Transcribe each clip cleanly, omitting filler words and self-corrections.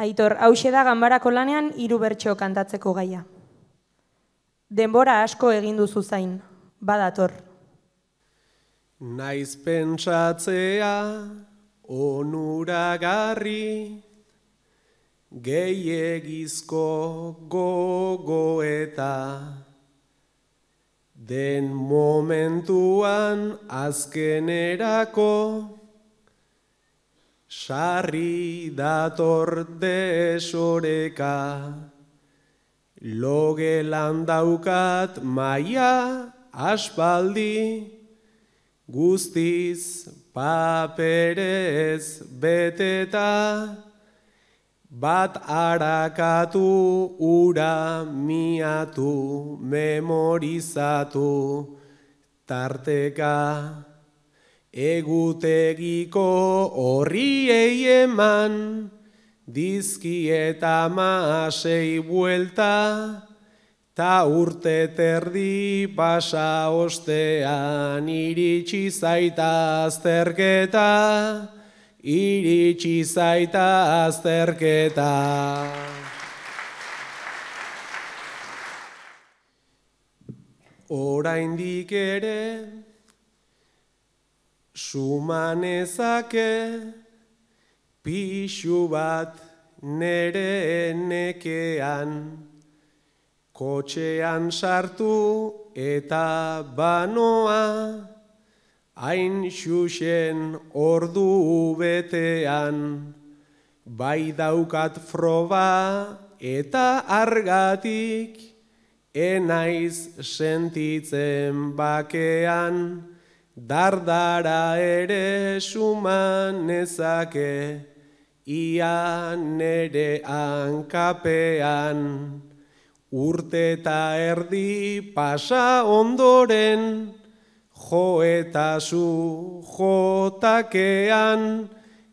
Aitor, hauxe da ganbarako lanean 3 bertso kantatzeko gaia. Denbora asko egin duzu zain, badator. Naiz pentsatzea onuragarri, gehiegizko gogoeta, den momentuan azkenerako, sarri dator desoreka, logelan daukat maia aspaldi, guztiz paperez beteta, bat arakatu, ura miatu, memorizatu, tarteka. Egutegiko horriei eman, dizkieta 6 buelta, ta urte terdi pasa ostean, iritsi zaita azterketa, iritsi zaita azterketa. Oraindik ere, sumanezake pixu bat nere nekean, kotxean sartu eta banoa, hain xuxen ordu betean, bai daukat froba eta argatik, enaiz sentitzen bakean, dardara ere suman nezake, ia nere hankapean. Urte eta erdi pasa ondoren, jo eta zu jotakean,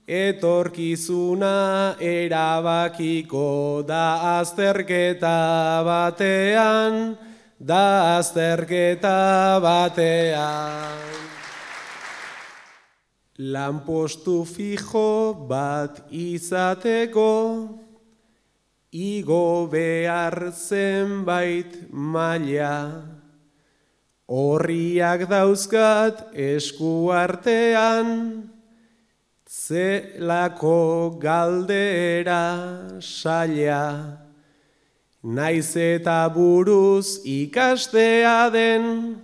etorkizuna erabakiko da azterketa batean, da azterketa batean. Lanpostu fijo bat izateko, igo behar zenbait maila, horriak dauzkat esku artean, zelako galdera saila, naiz eta buruz ikastea den,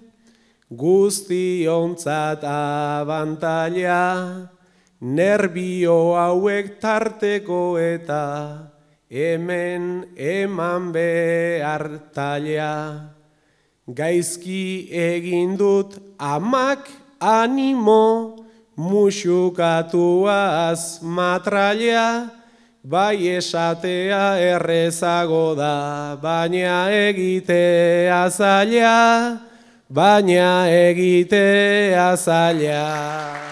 guztiontzat abantaila, nerbio hauek tarteko eta hemen eman behar taila. Gaizki egin dut amak animo, musukatuaz matraila, bai esatea errezago da, baina egitea zaila, baina egitea zaila.